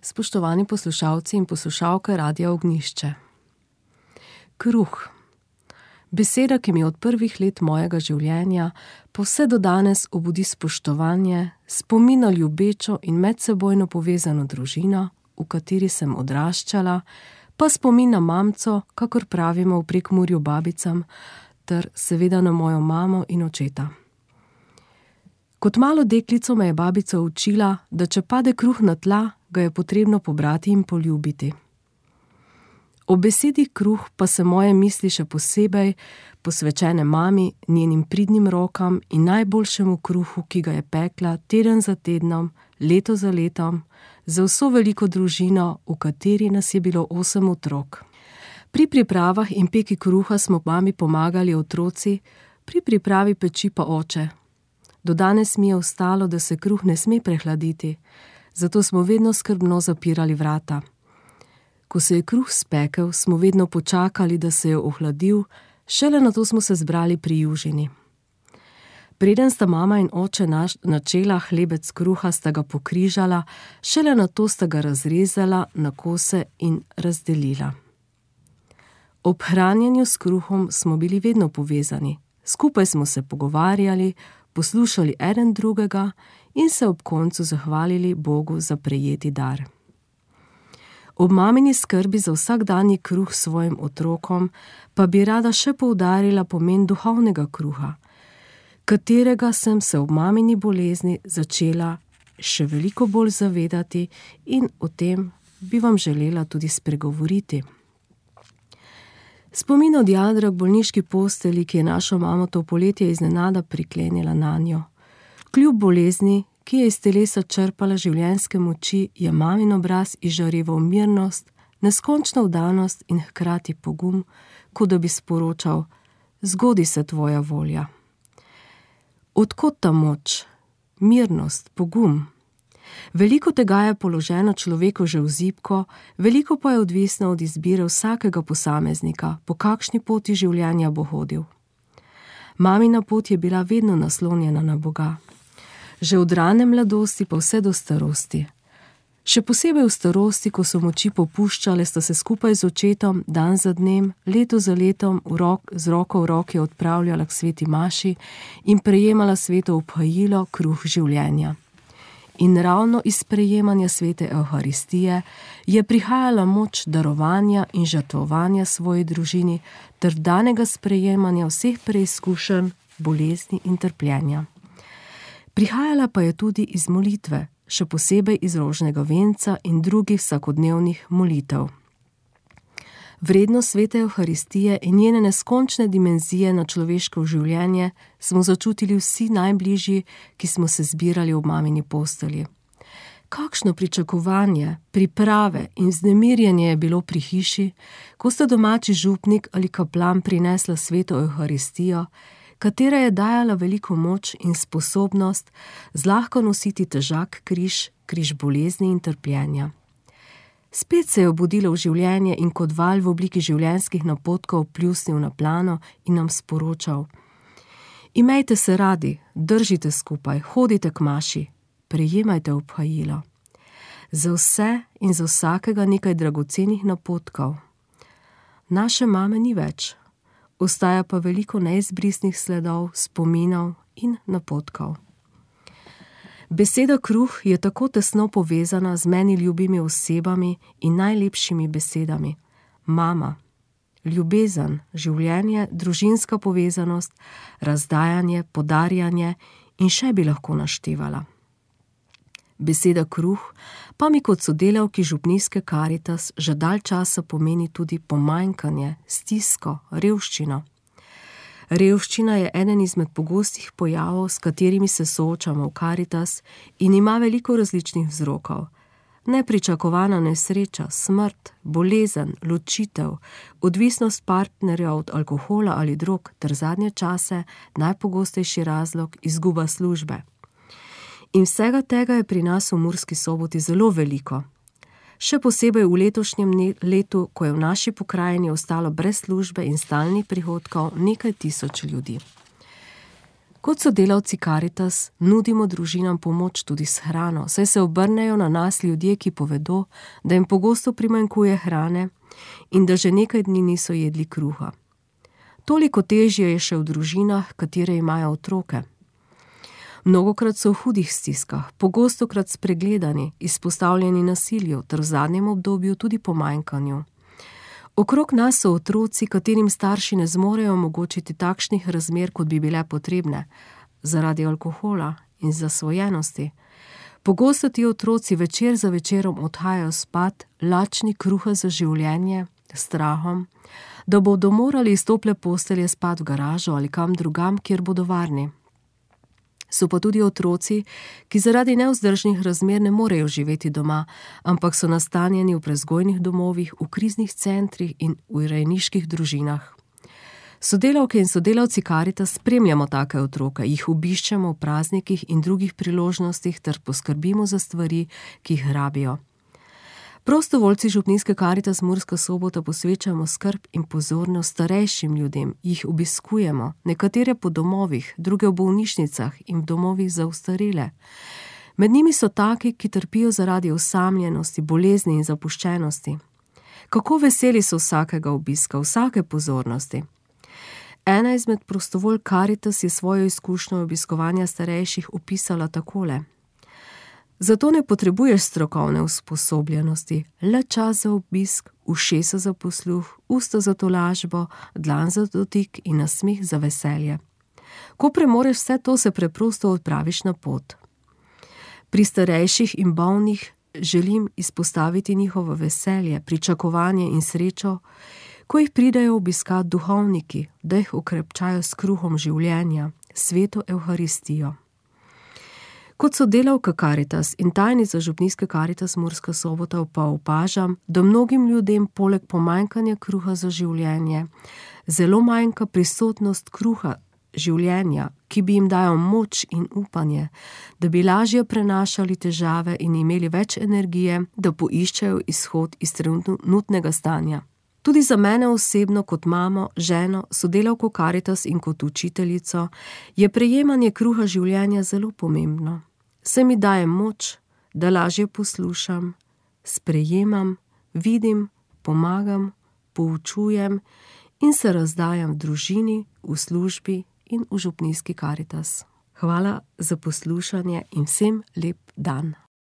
Spoštovani poslušalci in poslušalke Radia Ognjišče. Kruh. Beseda, ki mi od prvih let mojega življenja pa vse do danes obudi spoštovanje, spomin na ljubečo in medsebojno povezano družino, v kateri sem odraščala, pa spomin na mamco, kakor pravimo v Prekmurju babicam, ter seveda na mojo mamo in očeta. Kot malo deklico me je babica učila, da če pade kruh na tla, ga je potrebno pobrati in poljubiti. O besedi kruh pa se moje misli še posebej posvečene mami, njenim pridnim rokam in najboljšemu kruhu, ki ga je pekla teden za tednom, leto za letom, za vso veliko družino, v kateri nas je bilo 8 otrok. Pri pripravah in peki kruha smo mami pomagali otroci, pri pripravi peči pa oče. Do danes mi je ostalo, da se kruh ne sme prehladiti, zato smo vedno skrbno zapirali vrata. Ko se je kruh spekel, smo vedno počakali, da se je ohladil, šele nato smo se zbrali pri južini. Preden sta mama in oče načela hlebec kruha, sta ga pokrižala, šele nato sta ga razrezala na kose in razdelila. Ob hranjenju s kruhom smo bili vedno povezani, skupaj smo se pogovarjali, poslušali eden drugega in se ob koncu zahvalili Bogu za prejeti dar. Ob mamini skrbi za vsakdanji kruh svojim otrokom pa bi rada še poudarila pomen duhovnega kruha, katerega sem se ob mamini bolezni začela še veliko bolj zavedati in o tem bi vam želela tudi spregovoriti. Spomin od jadra k bolniški posteli, ki je našo mamo to poletje iznenada priklenila nanjo. Kljub bolezni, ki je iz telesa črpala življenjske moči, je mamin obraz izžareval mirnost, neskončno vdanost in hkrati pogum, kot da bi sporočal: zgodi se tvoja volja. Od kod ta moč, mirnost, pogum? Veliko tega je položeno človeku že v zibko, veliko pa je odvisno od izbire vsakega posameznika, po kakšni poti življenja bo hodil. Mamina pot je bila vedno naslonjena na Boga. Že od rane mladosti pa vse do starosti. Še posebej v starosti, ko so moči popuščale, sta se skupaj z očetom dan za dnem, leto za letom z roko v roki odpravljala k sveti maši in prejemala sveto obhajilo, kruh življenja. In ravno iz sprejemanja svete Evharistije je prihajala moč darovanja in žrtvovanja svoji družini ter danega sprejemanja vseh preizkušenj, bolezni in trpljenja. Prihajala pa je tudi iz molitve, še posebej iz rožnega venca in drugih vsakodnevnih molitev. Vrednost svete Evharistije in njene neskončne dimenzije na človeško življenje smo začutili vsi najbližji, ki smo se zbirali ob mamini postelji. Kakšno pričakovanje, priprave in vznemirjenje je bilo pri hiši, ko sta domači župnik ali kaplan prinesla sveto Evharistijo, katera je dajala veliko moč in sposobnost zlahka nositi težak križ, križ bolezni in trpljenja. Spet se je obudilo v življenje in kot val v obliki življenjskih napotkov pljusnil na plano in nam sporočal: imejte se radi, držite skupaj, hodite k maši, prejemajte obhajilo. Za vse in za vsakega nekaj dragocenih napotkov. Naše mame ni več, ostaja pa veliko neizbrisnih sledov, spominov in napotkov. Beseda kruh je tako tesno povezana z meni ljubimi osebami in najlepšimi besedami. Mama, ljubezen, življenje, družinska povezanost, razdajanje, podarjanje in še bi lahko naštevala. Beseda kruh pa mi kot sodelavki župnijske Karitas že dalj časa pomeni tudi pomanjkanje, stisko, revščino. Revščina je eden izmed pogostih pojavov, s katerimi se soočamo v Karitas in ima veliko različnih vzrokov. Nepričakovana nesreča, smrt, bolezen, ločitev, odvisnost partnerja od alkohola ali drog ter zadnje čase najpogostejši razlog izguba službe. In vsega tega je pri nas v Murski Soboti zelo veliko. Še posebej v letošnjem letu, ko je v naši pokrajini ostalo brez službe in stalnih prihodkov nekaj tisoč ljudi. Kot sodelavci Karitas nudimo družinam pomoč tudi s hrano, saj se obrnejo na nas ljudje, ki povedo, da jim pogosto primanjkuje hrane in da že nekaj dni niso jedli kruha. Toliko težje je še v družinah, katere imajo otroke. Mnogokrat so v hudih stiskah, pogostokrat spregledani, izpostavljeni nasilju ter v zadnjem obdobju tudi pomanjkanju. Okrog nas so otroci, katerim starši ne zmorejo omogočiti takšnih razmer, kot bi bile potrebne, zaradi alkohola in zasvojenosti. Pogosto ti otroci večer za večerom odhajajo spat, lačni kruha za življenje, strahom, da bodo morali iz tople postelje spat v garažo ali kam drugam, kjer bodo varni. So pa tudi otroci, ki zaradi nevzdržnih razmer ne morejo živeti doma, ampak so nastanjeni v prevzgojnih domovih, v kriznih centrih in v rejniških družinah. Sodelavke in sodelavci Karitas spremljamo take otroke, jih obiščemo v praznikih in drugih priložnostih ter poskrbimo za stvari, ki jih rabijo. Prostovoljci župnijske Karitas Murska Sobota posvečamo skrb in pozornost starejšim ljudem, jih obiskujemo, nekatere po domovih, druge v bolnišnicah in v domovih za ostarele. Med njimi so taki, ki trpijo zaradi osamljenosti, bolezni in zapuščenosti. Kako veseli so vsakega obiska, vsake pozornosti. Ena izmed prostovolj Karitas je svojo izkušnjo obiskovanja starejših opisala takole. Zato ne potrebuješ strokovne usposobljenosti, le čas za obisk, ušesa za posluh, usta za tolažbo, dlan za dotik in nasmeh za veselje. Ko premoreš vse to, se preprosto odpraviš na pot. Pri starejših in bolnih želim izpostaviti njihovo veselje, pričakovanje in srečo, ko jih pridejo obiskat duhovniki, da jih okrepčajo s kruhom življenja, sveto Evharistijo. Kot sodelavka Karitas in tajnica župnijske Karitas Murska Sobota pa opažam, da mnogim ljudem poleg pomanjkanja kruha za življenje zelo manjka prisotnost kruha življenja, ki bi jim dajal moč in upanje, da bi lažje prenašali težave in imeli več energije, da poiščejo izhod iz trenutnega stanja. Tudi za mene osebno kot mamo, ženo, sodelavko Karitas in kot učiteljico je prejemanje kruha življenja zelo pomembno. Se mi daje moč, da lažje poslušam, sprejemam, vidim, pomagam, poučujem in se razdajam v družini, v službi in v župnijski Karitas. Hvala za poslušanje in vsem lep dan.